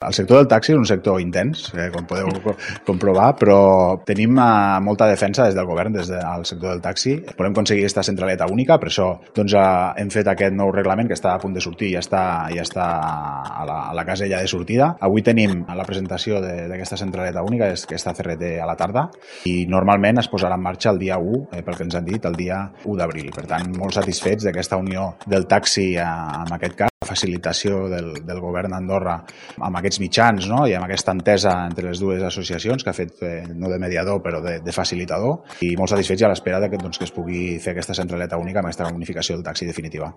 El sector del taxi és un sector intens, com podeu comprovar, però tenim molta defensa des del govern, des del sector del taxi. Volem aconseguir aquesta centraleta única, per això hem fet aquest nou reglament que està a punt de sortir, ja està a la casella de sortida. Avui tenim la presentació d'aquesta centraleta única, aquesta CRT a la tarda, i normalment es posarà en marxa el dia 1, pel que ens han dit, el dia 1 d'abril. Per tant, molt satisfets d'aquesta unió del taxi en aquest cas, la facilitació del govern d'Andorra amb aquests mitjans, no? I amb aquesta entesa entre les dues associacions que ha fet no de mediador però de facilitador, i molt satisfets i a l'espera que es pugui fer aquesta centraleta única amb aquesta unificació del taxi definitiva.